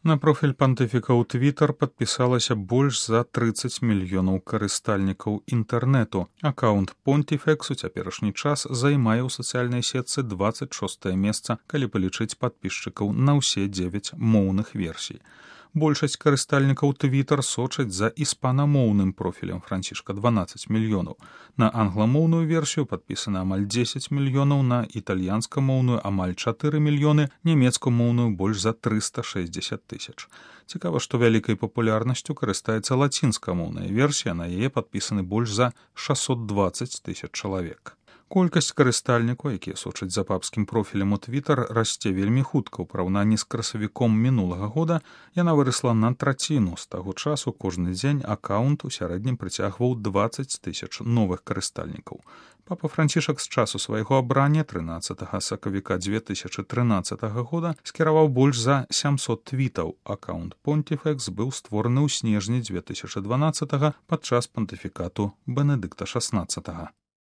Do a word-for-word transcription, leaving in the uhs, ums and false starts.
На профіль пантыфіка ў Твітар падпісалася больш за трыццаць мільёнаў карыстальнікаў інтэрнэту. Акаунт Понтифекс у цяперашні час займае ў сацыяльнай сетцы дваццаць шостае месца, калі палічыць падпісчыкаў на ўсе дзевяць моўных версій. Большасць карыстальнікаў Твітар сочаць за іспанамоўным профілем Францішка дванаццаць мільёнаў. На англамоўную версію падпісана амаль дзесяць мільёнаў, на італьянскамоўную амаль чатыры мільёны, нямецкамоўную больш за трыста шэсцьдзесят тысяч. Цікава, што вялікай папулярнасцю карыстаецца лацінскамоўная версія, на яе падпісаны больш за шэсцьсот дваццаць тысяч чалавек. Колькасць карыстальнікаў, якія сочаць за папскім профілем у Твітар, расце вельмі хутка. У параўнанні з красавіком мінулага года яна вырасла на траціну. З таго часу кожны дзень акаунт у сярэднім прыцягваў дваццаць тысяч новых карыстальнікаў. Папа Францішак з часу свайго абрання трынаццатага сакавіка дзве тысячы трынаццатага года скіраваў больш за сямсот твітаў. Акаунт Понтифекс быў створаны ў снежні дзве тысячы дванаццатага падчас пантыфікату Бенедыкта шаснаццатага.